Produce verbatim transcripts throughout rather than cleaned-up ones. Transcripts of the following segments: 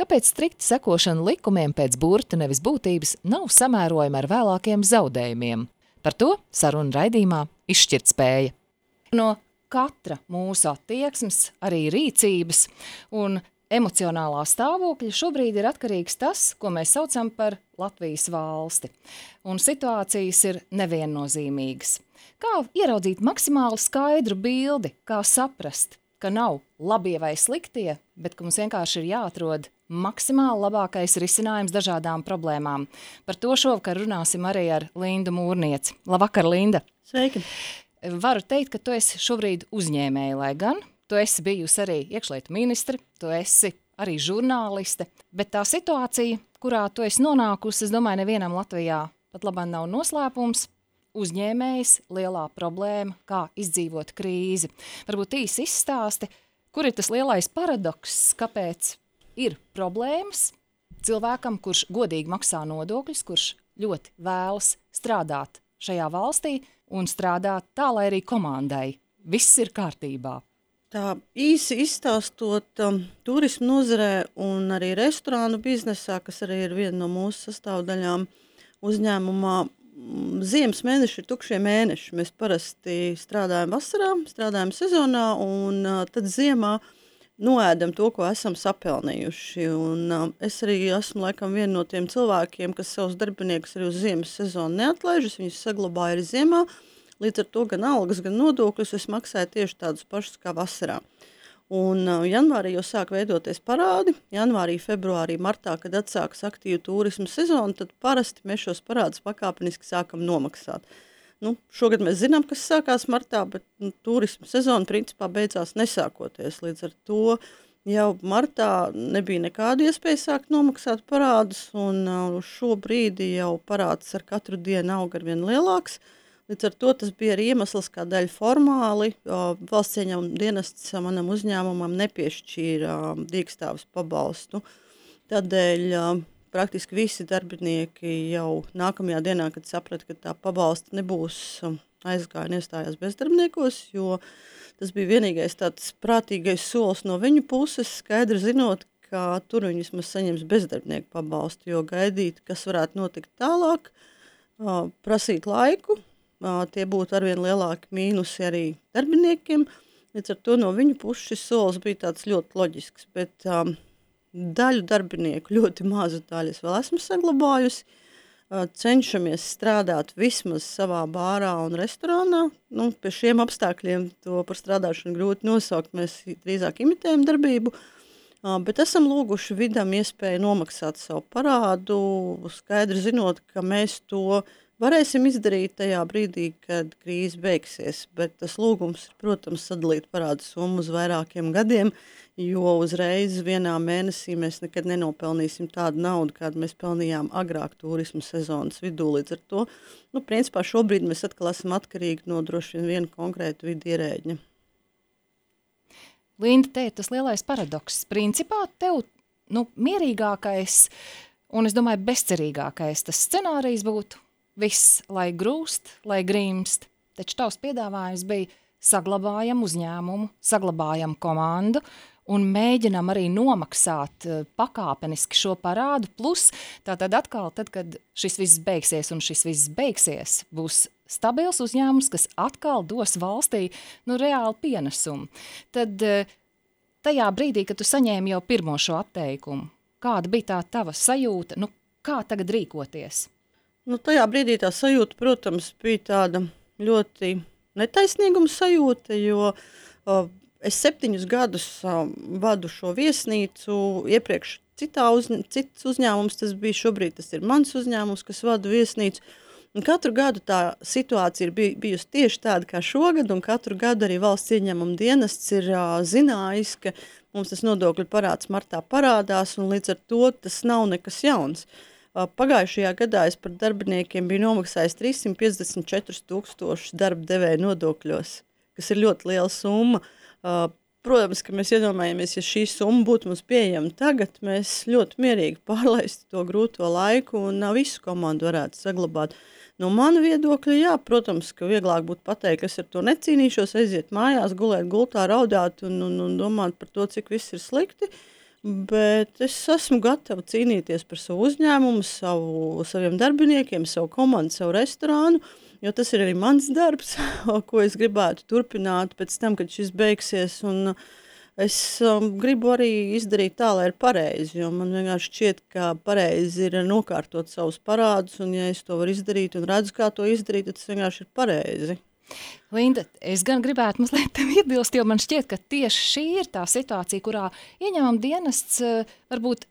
kāpēc strikta sekošana likumiem pēc burta nevis būtības nav samērojama ar vēlākiem zaudējumiem. Par to saruna raidījumā Izšķirtspēja. No katra mūsu attieksmes, arī rīcības un emocionālā stāvokļa šobrīd ir atkarīgs tas, ko mēs saucam par Latvijas valsti. Un situācijas ir neviennozīmīgas. Kā ieraudzīt maksimāli skaidru bildi, kā saprast, ka nav labie vai sliktie, bet ka mums vienkārši ir jāatrod maksimāli labākais risinājums dažādām problēmām. Par to šovakar runāsim arī ar Lindu Mūrnieci. Labvakar, Linda! Sveiki! Varu teikt, ka tu esi šobrīd uzņēmēja, lai gan tu esi bijusi arī iekšlietu ministri, tu esi arī žurnāliste, bet tā situācija, kurā tu esi nonākusi, es domāju, nevienam Latvijā pat labāk nav noslēpums, uzņēmējs, lielā problēma, kā izdzīvot krīzi. Varbūt īsi izstāsti, kur ir tas lielais paradoks, kāpēc ir problēmas cilvēkam, kurš godīgi maksā nodokļus, kurš ļoti vēlas strādāt šajā valstī un strādāt tā, lai arī komandai viss ir kārtībā. Tā īsi izstāstot, um, turismu nozarē un arī restorānu biznesā, kas arī ir viena no mūsu sastāvdaļām uzņēmumā, ziemas mēneši ir tukšie mēneši. Mēs parasti strādājam vasarā, strādājam sezonā un uh, tad ziemā noēdam to, ko esam sapelnījuši. Un, uh, es arī esmu laikam viena no tiem cilvēkiem, kas savus darbiniekus arī uz ziemas sezonu neatlaižas, viņus saglabāja arī ziemā. Līdz ar to gan algas, gan nodokļus es maksāju tieši tādus pašus kā vasarā. Un uh, janvārī jau sāk veidoties parādi. Janvārī, februārī, martā, kad atsākas aktīvu turismu sezonu, tad parasti mēs šos parādus pakāpeniski sākam nomaksāt. Nu, šogad mēs zinām, kas sākās martā, bet nu, turismu sezona principā beidzās nesākoties. Līdz ar to jau martā nebija nekāda iespēja sākt nomaksāt parādus, un uh, šo brīdi jau parāds ar katru dienu aug arvien lielāks. Līdz ar to tas bija arī iemesls, kādēļ formāli uh, valsts ieņēmuma dienests manam uzņēmumam nepiešķīra uh, dīkstāves pabalstu. Tādēļ uh, praktiski visi darbinieki jau nākamajā dienā, kad saprata, ka tā pabalsta nebūs, uh, aizgāja un iestājās bezdarbniekos, jo tas bija vienīgais tāds prātīgais solis no viņu puses, skaidri zinot, ka tur viņi vismaz saņems bezdarbnieku pabalstu, jo gaidīt, kas varētu notikt tālāk, uh, prasīt laiku. Uh, tie būtu arvien lielāki mīnusi arī darbiniekiem. Līdz ar to no viņu puses šis solis bija tāds ļoti loģisks, bet um, daļu darbinieku, ļoti mazu daļu es vēl esmu saglabājusi. Uh, cenšamies strādāt vismaz savā bārā un restorānā. Nu, pie šiem apstākļiem to par strādāšanu grūti nosaukt, mēs drīzāk imitējam darbību, uh, bet esam lūguši vidam iespēju nomaksāt savu parādu, skaidri zinot, ka mēs to varēsim izdarīt tajā brīdī, kad krīze beigsies, bet tas lūgums ir, protams, sadalīt parādu summu uz vairākiem gadiem, jo uzreiz vienā mēnesī mēs nekad nenopelnīsim tādu naudu, kādu mēs pelnījām agrāk turismu sezonas vidū. Līdz ar to, nu, principā šobrīd mēs atkal esam atkarīgi no droši vien viena konkrēta vidu ierēģņa. Linda, te ir tas lielais paradoks. Principā tev, nu, mierīgākais un, es domāju, bezcerīgākais tas scenārijs būtu viss, lai grūst, lai grimst, taču tavs piedāvājums bija saglabājam uzņēmumu, saglabājam komandu un mēģinam arī nomaksāt pakāpeniski šo parādu, plus tātad atkal, tad, kad šis viss beigsies un šis viss beigsies, būs stabils uzņēmums, kas atkal dos valstī, nu, reāli pienesumu. Tad tajā brīdī, kad tu saņēmi jau pirmo šo atteikumu, kāda bija tā tava sajūta, nu, kā tagad rīkoties? Nu, tajā brīdī tā sajūta, protams, bija tāda ļoti netaisnīguma sajūta, jo uh, es septiņus gadus uh, vadu šo viesnīcu, iepriekš citā uzņ- cits uzņēmums, tas bija šobrīd, tas ir mans uzņēmums, kas vada viesnīcu, un katru gadu tā situācija ir bij, bijusi tieši tāda kā šogad, un katru gadu arī valsts ieņēmuma dienests ir uh, zinājis, ka mums tas nodokļu parāds martā parādās, un līdz ar to tas nav nekas jauns. Pagājušajā gadā es par darbiniekiem biju nomaksājis trīssimt piecdesmit četrus tūkstošus darba devēja nodokļos, kas ir ļoti liela summa. Protams, ka mēs iedomājamies, ja šī summa būtu mums pieejama tagad, mēs ļoti mierīgi pārlaistu to grūto laiku un visu komandu varētu saglabāt. No mana viedokļa, jā, protams, ka vieglāk būtu pateikt, ka es ar to necīnīšos, aiziet mājās, gulēt gultā, raudāt un, un, un domāt par to, cik viss ir slikti. bet es esmu gatava cīnīties par savu uzņēmumu, savu, saviem darbiniekiem, savu komandu, savu restorānu, jo tas ir arī mans darbs, ko es gribētu turpināt pēc tam, kad šis beigsies, un es um, gribu arī izdarīt tā, lai ir pareizi, jo man vienkārši šķiet, ka pareizi ir nokārtot savus parādus, un ja es to varu izdarīt un redzu, kā to izdarīt, tad tas vienkārši ir pareizi. Linda, es gan gribētu mazliet tev iebilst, jo man šķiet, ka tieši šī ir tā situācija, kurā ieņēmuma dienests uh, varbūt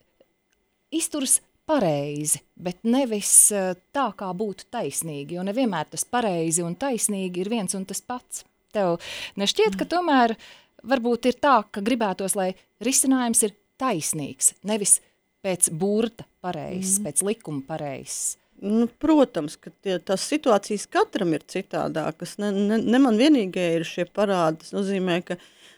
izturas pareizi, bet nevis uh, tā, kā būtu taisnīgi, jo nevienmēr tas pareizi un taisnīgi ir viens un tas pats. Tev nešķiet, ka tomēr varbūt ir tā, ka gribētos, lai risinājums ir taisnīgs, nevis pēc burta pareizs, mm. pēc likuma pareizs. Nu, protams, ka tie, tās situācijas katram ir citādākas. Ne, ne, ne man vienīgie ir šie parādi. Tas nozīmē, ka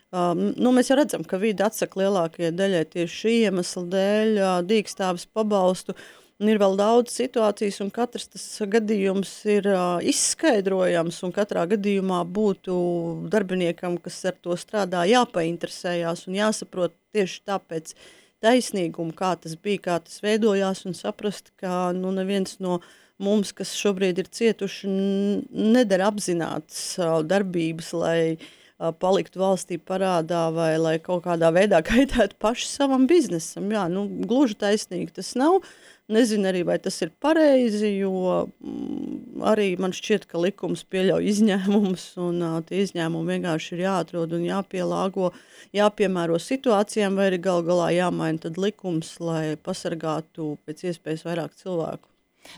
um, nu, mēs jau redzam, ka vide atsaka lielākajai daļai tieši šī iemesla dēļ uh, dīkstāves pabalstu. Un ir vēl daudz situācijas, un katrs tas gadījums ir uh, izskaidrojams, un katrā gadījumā būtu darbiniekam, kas ar to strādā, jāpainteresējās un jāsaprot tieši tāpēc, taisnīgumu, kā tas bija, kā tas veidojās, un saprast, ka nu, neviens no mums, kas šobrīd ir cietuši, nedara apzinātas uh, darbības, lai uh, paliktu valstī parādā vai lai kaut kādā veidā kaitētu paši savam biznesam. Jā, nu, gluži taisnīgi tas nav. Nezinu arī, vai tas ir pareizi, jo mm, arī man šķiet, ka likums pieļauj izņēmumus, un uh, tie izņēmumi vienkārši ir jāatrod un jāpielāgo, jāpiemēro situācijām, vai arī gal galā jāmaina tad likums, lai pasargātu pēc iespējas vairāk cilvēku.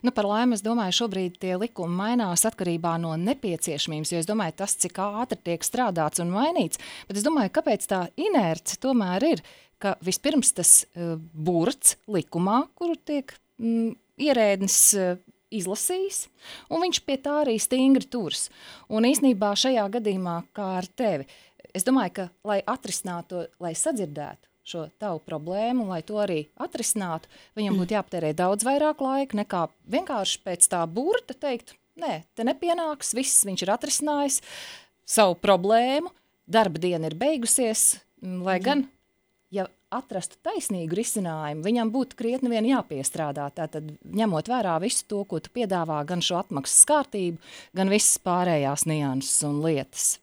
Nu, par laimi, es domāju, šobrīd tie likumi mainās atkarībā no nepieciešamības, jo es domāju, tas, cik ātri tiek strādāts un mainīts, bet es domāju, kāpēc tā inerce tomēr ir, ka vispirms tas uh, burts likumā, kuru tiek mm, ierēdnis uh, izlasījis, un viņš pie tā arī stingri turs. Un īsnībā šajā gadījumā, kā ar tevi, es domāju, ka, lai atrisinātu, lai sadzirdētu šo tavu problēmu, un lai to arī atrisinātu, viņam būtu jāpatērē daudz vairāk laika, nekā vienkārši pēc tā burta teikt, nē, te nepienāks, viss viņš ir atrisinājis savu problēmu, darba diena ir beigusies, lai gan, ja atrastu taisnīgu risinājumu, viņam būtu krietni vien jāpiestrādā, tātad ņemot vērā visu to, ko tu piedāvā, gan šo atmaksas kārtību, gan visas pārējās nianses un lietas.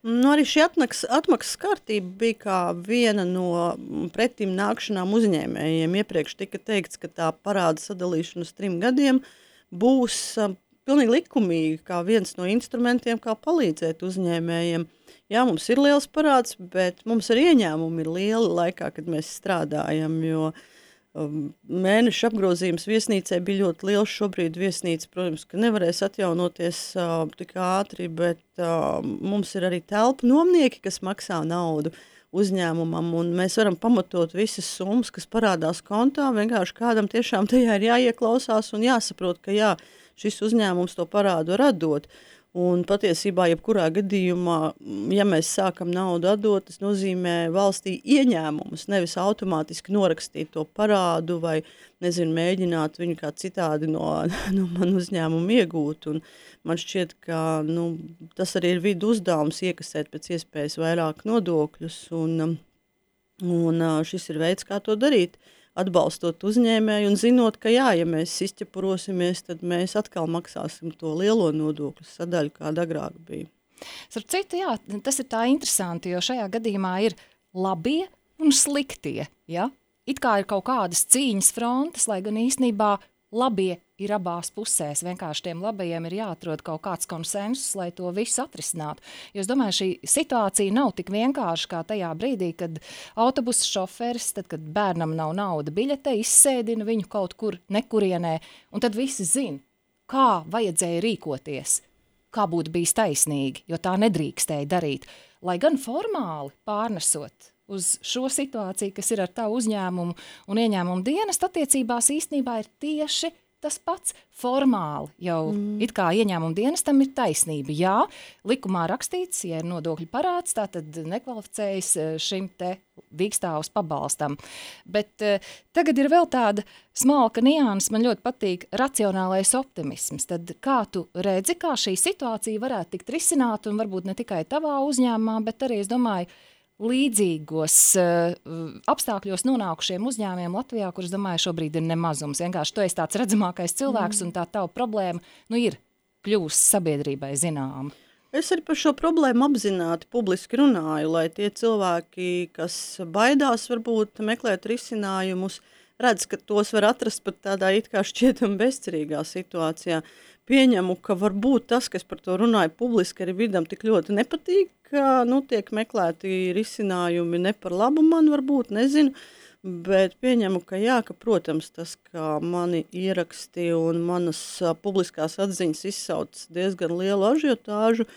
Nu, arī šī atmaksas, atmaksas kārtība bija kā viena no pretim nākšanām uzņēmējiem. Iepriekš tika teikts, ka tā parāda sadalīšana uz trim gadiem būs um, pilnīgi likumīgi, kā viens no instrumentiem, kā palīdzēt uzņēmējiem. Jā, mums ir liels parāds, bet mums arī ieņēmumi ir lieli laikā, kad mēs strādājam, jo um, mēneša apgrozījums viesnīcai bija ļoti liels. Šobrīd viesnīca, protams, ka nevarēs atjaunoties uh, tik ātri, bet uh, mums ir arī telpu nomnieki, kas maksā naudu uzņēmumam, un mēs varam pamatot visas summas, kas parādās kontā, vienkārši kādam tiešām tajā ir jāieklausās un jāsaprot, ka jā, šis uzņēmums to parādu radot. Un patiesībā, jebkurā gadījumā, ja mēs sākam naudu atdot, tas nozīmē valstī ieņēmumus, nevis automātiski norakstīt to parādu vai, nezinu, mēģināt viņu kā citādi no, no man uzņēmumu iegūt. Un man šķiet, ka nu, tas arī ir vidu uzdevums iekasēt pēc iespējas vairāk nodokļus, un, un šis ir veids, kā to darīt. Atbalstot uzņēmēju un zinot, ka jā, ja mēs izķepurosimies, tad mēs atkal maksāsim to lielo nodokļu sadaļu, kāda agrāk bija. Starp citu, jā, tas ir tā interesanti, jo šajā gadījumā ir labie un sliktie, ja? It kā ir kaut kādas cīņas frontes, lai gan īstenībā labie ir abās pusēs. Vienkārši tiem labajiem ir jāatrod kaut kāds konsensus, lai to visu atrisinātu. Jo es domāju, šī situācija nav tik vienkārši kā tajā brīdī, kad autobusa šoferis, tad, kad bērnam nav nauda biļete, izsēdina viņu kaut kur nekurienē, un tad visi zina, kā vajadzēja rīkoties, kā būtu bijis taisnīgi, jo tā nedrīkstēja darīt. Lai gan formāli pārnesot uz šo situāciju, kas ir ar tavu uzņēmumu un ieņēmumu dienestu attiecībās, īstenībā ir tieši tas pats formāli. Jau mm. it kā ieņēmumu dienestam ir taisnība. Jā, likumā rakstīts, ja ir nodokļu parāds, tā tad nekvalificējas šim te dīkstāvus pabalstam. Bet uh, tagad ir vēl tāda smalka nianses, man ļoti patīk racionālais optimisms. Tad kā tu redzi, kā šī situācija varētu tikt risināta, un varbūt ne tikai tavā uzņēmumā, bet arī, es domāju, līdzīgos uh, apstākļos nonākušiem uzņēmiem Latvijā, kurus, domāju, šobrīd ir nemazums. Vienkārši tu esi tāds redzamākais cilvēks, mm. un tā tava problēma, nu, ir kļūst sabiedrībai zināma. Es arī par šo problēmu apzināti publiski runāju, lai tie cilvēki, kas baidās varbūt meklēt risinājumus, redz, ka tos var atrast pat tādā it kā šķietam bezcerīgā situācijā. Pieņemu, ka varbūt tas, kas par to runāja publiski, arī vidam tik ļoti nepatīk, ka, nu, tiek meklēti risinājumi ne par labu man varbūt, nezinu, bet pieņemu, ka jā, ka, protams, tas, ka mani ieraksti un manas a, publiskās atziņas izsauc diezgan lielu ažiotāžu,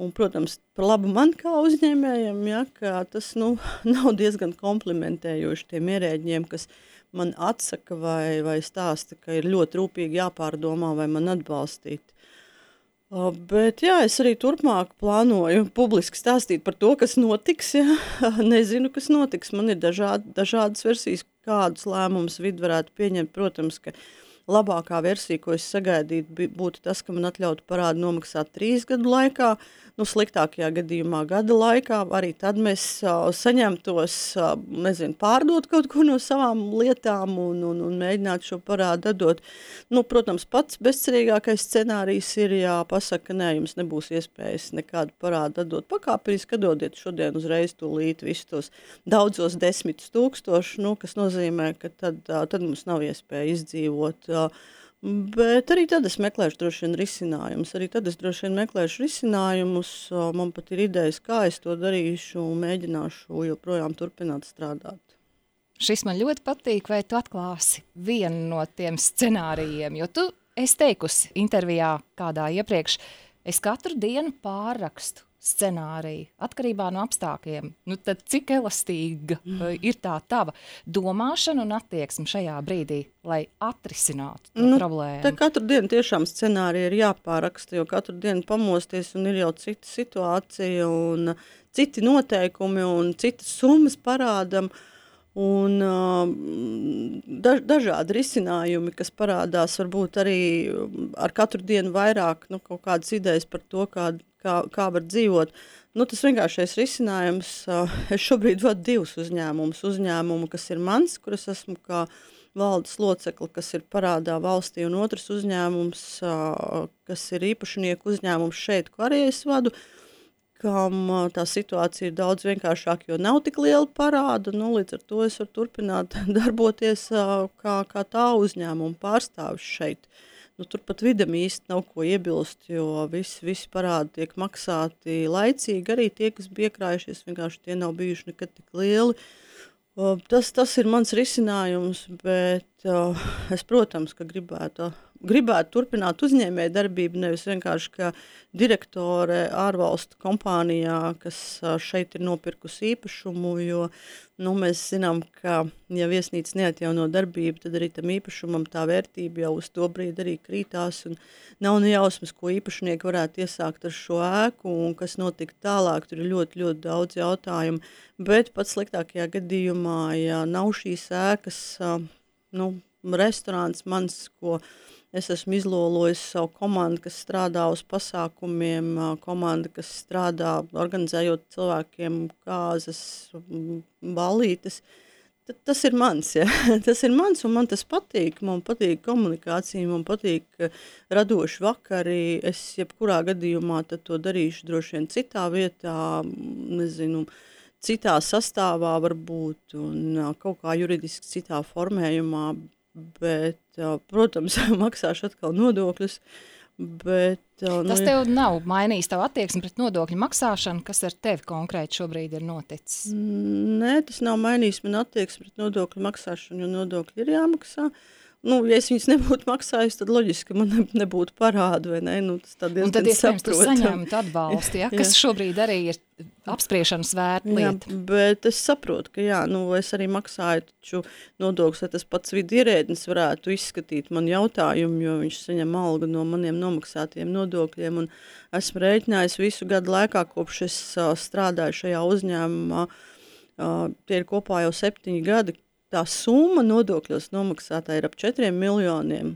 un, protams, par labu man kā uzņēmējiem, jā, ka tas, nu, nav diezgan komplimentējoši tiem ierēģiem, kas man atsaka vai, vai stāsta, ka ir ļoti rūpīgi jāpārdomā vai man atbalstīt. Uh, bet jā, es arī turpmāk plānoju publiski stāstīt par to, kas notiks. Jā. Nezinu, kas notiks. Man ir dažād, dažādas versijas, kādus lēmumus vidi varētu pieņemt. Protams, ka labākā versija, ko es sagaidītu, būtu tas, ka man atļautu parādu nomaksāt trīs gadu laikā. Nu, sliktākajā gadījumā gada laikā, arī tad mēs uh, saņemtos, uh, nezinu, pārdot kaut ko no savām lietām un, un, un mēģināt šo parādu atdot. Nu, protams, pats bezcerīgākais scenārijs ir, ja pasaka, ka nē, jums nebūs iespējas nekādu parādu atdot pakāpeniski, atdodiet šodien uzreiz tūlīt visus tos daudzos desmitus tūkstošus, nu, kas nozīmē, ka tad, uh, tad mums nav iespēja izdzīvot. Uh, Bet arī tad es meklēšu droši vien risinājumus. Arī tad es droši vien meklēšu risinājumus. Man pat ir idejas, kā es to darīšu un mēģināšu joprojām turpināt strādāt. Šis man ļoti patīk, vai tu atklāsi vienu no tiem scenārijiem, jo tu esi teikusi intervijā kādā iepriekš, es katru dienu pārrakstu scenāriju, atkarībā no apstākļiem. Nu, tad cik elastīga mm. ir tā tava domāšana un attieksme šajā brīdī, lai atrisinātu to nu, problēmu? Te katru dienu tiešām scenārija ir jāpāraksta, jo katru dienu pamosties un ir jau cita situācija un citi noteikumi un citas summas parādam un uh, daž, dažādi risinājumi, kas parādās varbūt arī ar katru dienu vairāk, nu, kaut kādas idejas par to, kā Kā, kā var dzīvot. Nu, tas vienkāršais risinājums, uh, es šobrīd vadu divus uzņēmumus. Uzņēmumu, kas ir mans, kur es esmu kā valdes locekli, kas ir parādā valstī, un otrs uzņēmums, uh, kas ir īpašnieku uzņēmums šeit, ko arī es vadu, kam uh, tā situācija ir daudz vienkāršāka, jo nav tik liela parāda, nu, līdz ar to es varu turpināt darboties uh, kā, kā tā uzņēmuma pārstāvis šeit. Nu, turpat vidam īsti nav ko iebilst, jo visi, visi parādi tiek maksāti laicīgi, arī tie, kas bija iekrājušies, vienkārši tie nav bijuši nekad tik lieli. Uh, tas, tas ir mans risinājums, bet uh, es, protams, ka gribētu, gribētu turpināt uzņēmēju darbību, nevis vienkārši kā direktore ārvalstu kompānijā, kas uh, šeit ir nopirkusi īpašumu, jo nu, mēs zinām, ka ja viesnīca neatjauno darbību, tad arī tam īpašumam tā vērtība jau uz to brīdi arī krītās un nav nejausmas, ko īpašnieki varētu iesākt ar šo ēku un kas notika tālāk, tur ir ļoti, ļoti daudz jautājumu, bet pats sliktākajā gadījumā, ja nav šīs ēkas, nu, restorāns mans, ko es esmu izlolojis savu komandu, kas strādā uz pasākumiem, komanda, kas strādā organizējot cilvēkiem kāzas, balītes. Tad tas ir mans, ja? Tas ir mans un man tas patīk. Man patīk komunikācija, man patīk radoši vakari. Es jebkurā gadījumā tad to darīšu droši vien citā vietā, nezinu, citā sastāvā varbūt un kaut kā juridiski citā formējumā. Bet, protams, maksāšu atkal nodokļus, bet... Nu, tas tev nav mainījis tavu attieksmi pret nodokļu maksāšanu, kas ar tevi konkrēti šobrīd ir noticis? Nē, tas nav mainījis man attieksmi pret nodokļu maksāšanu, jo nodokļi ir jāmaksā. Nu, ja es viņus nebūtu maksājis, tad loģiski, ka man nebūtu parādu, vai ne? Nu, tas tā diezgan un tad, iespējams, tu saprotam. saņemtu atbalstu, ja? Kas šobrīd arī ir apspriešanas vērta lieta. Jā, bet es saprotu, ka jā, nu, es arī maksāju taču nodokļus, lai tas pats vidi ierēdnis varētu izskatīt man jautājumu, jo viņš saņem algu no maniem nomaksātiem nodokļiem, un esmu rēķinājis visu gadu laikā, kopš es uh, strādāju šajā uzņēmumā, uh, tie ir kopā jau septiņi gadi. Tā summa nodokļos nomaksātā ir ap četriem miljoniem.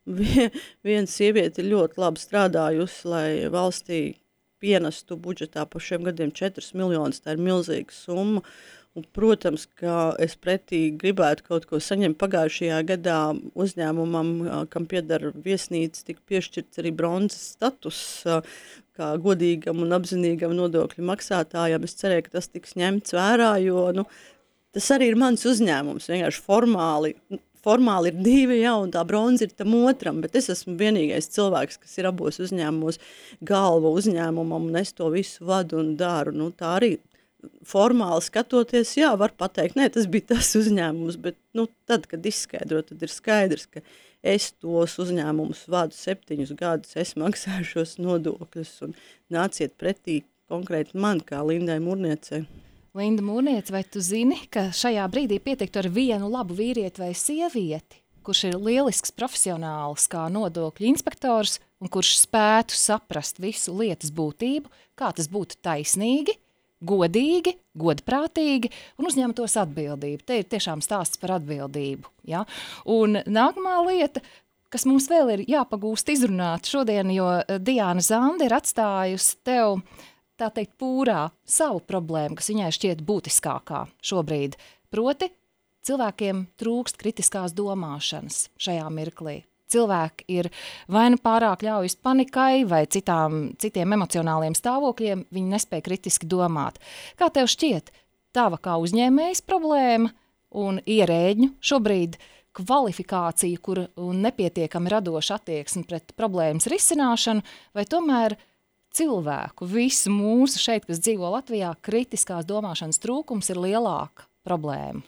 Vien, viena sieviete ir ļoti labi strādājusi, lai valstī pienestu budžetā pa šiem gadiem četrus miljonus, tā ir milzīga summa. Un, protams, ka es pretī gribētu kaut ko saņemt. Pagājušajā gadā uzņēmumam, kam pieder viesnīca, tika piešķirts arī bronzas status kā godīgam un apzinīgam nodokļu maksātājam. Es cerēju, ka tas tiks ņemts vērā, jo nu, tas arī ir mans uzņēmums. Vienkārši formāli, formāli ir divi, jā, un tā bronza ir tam otram, bet es esmu vienīgais cilvēks, kas ir abos uzņēmumos galva uzņēmumam, un es to visu vadu un daru. Nu, tā arī formāli skatoties, jā, var pateikt, nē, tas bija tas uzņēmums, bet nu, tad, kad izskaidro, tad ir skaidrs, ka es tos uzņēmumus vadu septiņus gadus, es maksāju šos nodokļus un nāciet pretī konkrēti man kā Lindai Mūrniecei. Linda Mūrniece, vai tu zini, ka šajā brīdī pietiktu ar vienu labu vīrieti vai sievieti, kurš ir lielisks profesionāls kā nodokļu inspektors un kurš spētu saprast visu lietas būtību, kā tas būtu taisnīgi, godīgi, godprātīgi un uzņemtos atbildību. Te ir tiešām stāsts par atbildību. Ja? Un nākamā lieta, kas mums vēl ir jāpagūst izrunāt šodien, jo Diāna Zanda ir atstājusi tev, tā teikt, pūrā savu problēmu, kas viņai šķiet būtiskākā šobrīd. Proti, cilvēkiem trūkst kritiskās domāšanas šajā mirklī. Cilvēki ir vai nu pārāk ļaujas panikai vai citām, citiem emocionāliem stāvokļiem, viņi nespēja kritiski domāt. Kā tev šķiet, tava kā uzņēmējas problēma un ierēģņu šobrīd kvalifikācija, kur un nepietiekami radoša attieksme pret problēmas risināšanu, vai tomēr cilvēku, visu mūsu šeit, kas dzīvo Latvijā, kritiskās domāšanas trūkums ir lielāka problēma?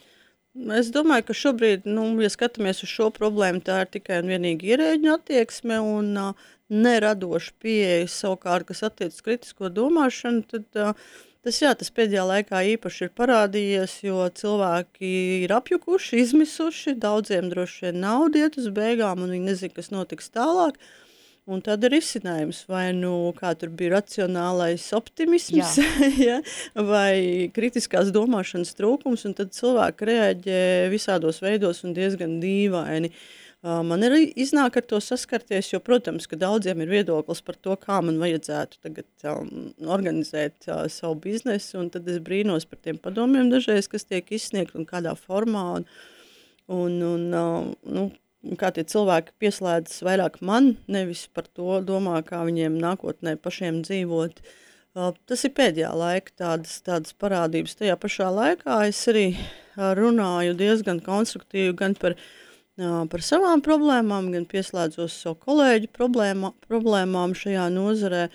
Es domāju, ka šobrīd, nu, ja skatāmies uz šo problēmu, tā ir tikai un vienīgi ierēģņu attieksme un uh, neradoša pieeja savukārt, kas attiecas kritisko domāšanu, tad uh, tas, jā, tas pēdējā laikā īpaši ir parādījies, jo cilvēki ir apjukuši, izmisuši, daudziem droši vien nauda iet uz beigām un viņi nezin, kas notiks tālāk. Un tad ir izcinājums, vai nu kā tur bija racionālais optimisms, ja, vai kritiskās domāšanas trūkums, un tad cilvēki reaģē visādos veidos un diezgan dīvaini. Uh, man ir iznāk ar to saskarties, jo, protams, ka daudziem ir viedoklis par to, kā man vajadzētu tagad um, organizēt uh, savu biznesu, un tad es brīnos par tiem padomiem dažreiz, kas tiek izsniegt un kādā formā, un, un, un uh, nu, kā tie cilvēki pieslēdzas vairāk man, nevis par to domā, kā viņiem nākotnē pašiem dzīvot. Uh, tas ir pēdējā laika tādas, tādas parādības. Tajā pašā laikā es arī runāju diezgan konstruktīvi gan par, uh, par savām problēmām, gan pieslēdzos savu kolēģu problēma, problēmām šajā nozarē.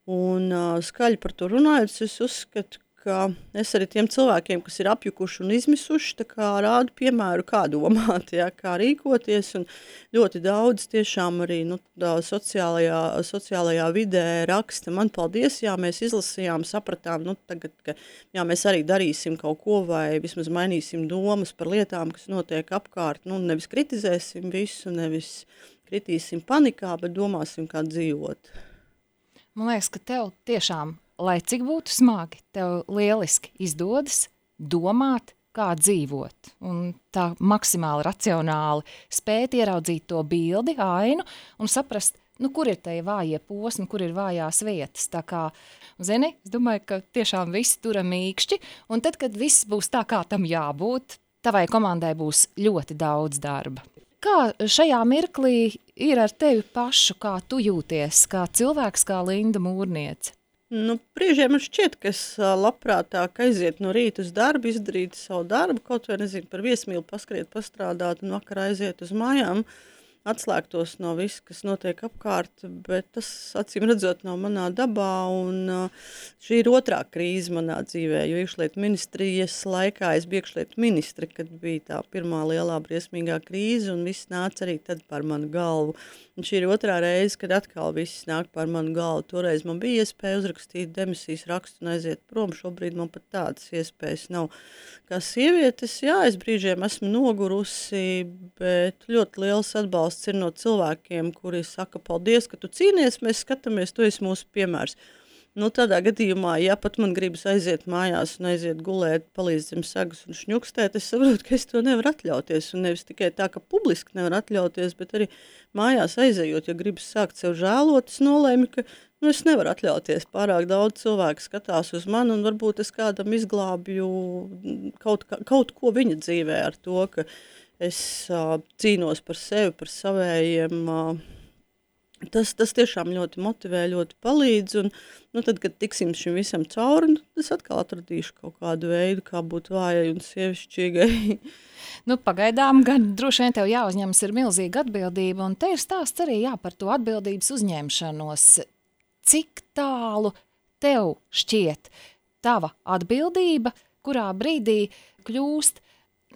Un uh, skaļi par to runājot, es uzskatu, ka es arī tiem cilvēkiem, kas ir apjukuši un izmisuši, tā kā rādu piemēru, kā domāt, ja, kā rīkoties, un ļoti daudz tiešām arī nu, sociālajā, sociālajā vidē raksta, man paldies, jā, mēs izlasījām, sapratām, nu, tagad, ka jā, mēs arī darīsim kaut ko vai vismaz mainīsim domas par lietām, kas notiek apkārt, nu, nevis kritizēsim visu, nevis kritīsim panikā, bet domāsim, kā dzīvot. Man liekas, ka tev tiešām lai cik būtu smagi, tev lieliski izdodas domāt, kā dzīvot. Un tā maksimāli racionāli spēt ieraudzīt to bildi, ainu un saprast, nu, kur ir tie vājie posmi, kur ir vājās vietas. Tā kā, zini, es domāju, ka tiešām visi tura mīkšķi, un tad, kad viss būs tā, kā tam jābūt, tavai komandai būs ļoti daudz darba. Kā šajā mirklī ir ar tevi pašu, kā tu jūties, kā cilvēks, kā Linda Mūrniece? Nu, brīžiem man šķiet, ka es labprātāk aiziet no rīta uz darbu, izdarīt savu darbu, kaut vai, nezinu, par viesmīlu paskriet, pastrādāt un vakarā aiziet uz mājām, atslēgtos no viss, kas notiek apkārt, bet tas, acīm redzot, nav manā dabā, un šī ir otrā krīze manā dzīvē, jo iekšlietu ministrijas laikā es biju iekšlietu ministri, kad bija tā pirmā lielā briesmīgā krīze, un viss nāca arī tad par manu galvu. Un šī ir otrā reize, kad atkal viss nāk par manu galvu. Toreiz man bija iespēja uzrakstīt demisijas rakstu un aiziet prom. Šobrīd man pat tādas iespējas nav. Kā sievietes, jā, es brīžiem esmu nogurusi, bet ļoti liels atbalsts ir no cilvēkiem, kuri saka, paldies, ka tu cīnies, mēs skatāmies, tu esi mūsu piemērs. Nu, tādā gadījumā, ja pat man gribas aiziet mājās un aiziet gulēt, palīdz zem sagas un šņukstēt, es saprotu, ka es to nevaru atļauties. Un nevis tikai tā, ka publiski nevar atļauties, bet arī mājās aizejot, ja gribas sākt sev žēlot, es nolēmu, ka nu, es nevaru atļauties. Pārāk daudz cilvēku skatās uz mani un varbūt es kādam izglābju kaut, kā, kaut ko viņa dzīvē ar to, ka es uh, cīnos par sevi, par savējiem. Uh, tas, tas tiešām ļoti motivē, ļoti palīdz. Un, nu, tad, kad tiksim šim visam cauri, nu, es atkal atradīšu kaut kādu veidu, kā būt vājai un sievišķīgai. Nu, pagaidām gan droši vien tev jāuzņemas ir milzīga atbildība, un te ir stāsts arī jā, par to atbildības uzņemšanos. Cik tālu tev šķiet tava atbildība, kurā brīdī kļūst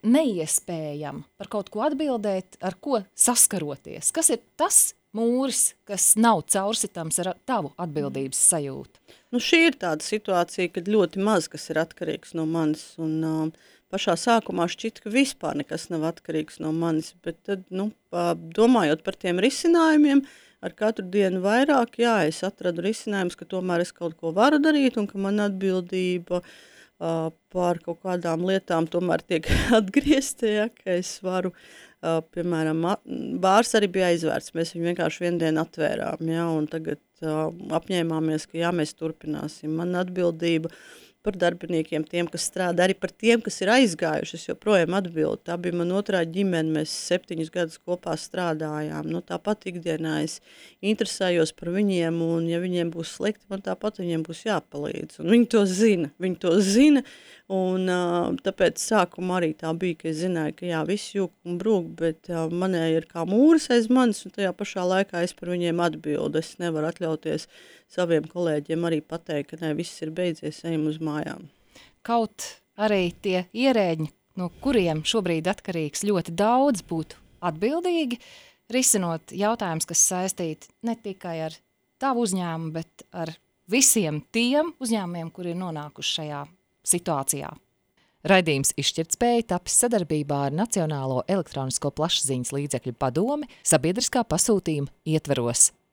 neiespējama par kaut ko atbildēt, ar ko saskaroties? Kas ir tas mūris, kas nav caursitams ar tavu atbildības sajūtu? Nu, šī ir tāda situācija, kad ļoti maz kas ir atkarīgs no manis, un uh, pašā sākumā šķita, ka vispār nekas nav atkarīgs no manis, bet tad, nu, domājot par tiem risinājumiem, ar katru dienu vairāk, jā, es atradu risinājumus, ka tomēr es kaut ko varu darīt un ka man atbildība uh, par kaut kādām lietām tomēr tiek atgriezta, ja, ka es varu, uh, piemēram, bārs arī bija aizvērts, mēs viņu vienkārši vienu dienu atvērām, ja, un tagad uh, apņēmāmies, ka jā, mēs turpināsim. Man atbildība par darbiniekiem, tiem, kas strādā, arī par tiem, kas ir aizgājuši, es joprojām atbildu. Tā bija man otrā ģimene, mēs septiņus gadus kopā strādājām. Nu, tāpat ikdienā es interesējos par viņiem, un ja viņiem būs slikti, man tāpat viņiem būs jāpalīdz. Un viņi to zina, viņi to zina, un uh, tāpēc sākumā arī tā bija, ka es zināju, ka jā, viss jūk un brūk, bet uh, manēji ir kā mūris aiz manis, un tajā pašā laikā es par viņiem atbildu. Es nevaru atļauties saviem kolēģiem arī pateikt, ka ne, viss ir beidzies, ejam uz mājām. Kaut arī tie ierēģi, no kuriem šobrīd atkarīgs ļoti daudz, būtu atbildīgi, risinot jautājums, kas saistīti ne tikai ar tavu uzņēmumu, bet ar visiem tiem uzņēmumiem, kuri ir nonākuši šajā situācijā. Raidījums Izšķirtspēja tapis sadarbībā ar Nacionālo elektronisko plašsaziņas līdzekļu padomi sabiedriskā pasūtījuma ietvaros.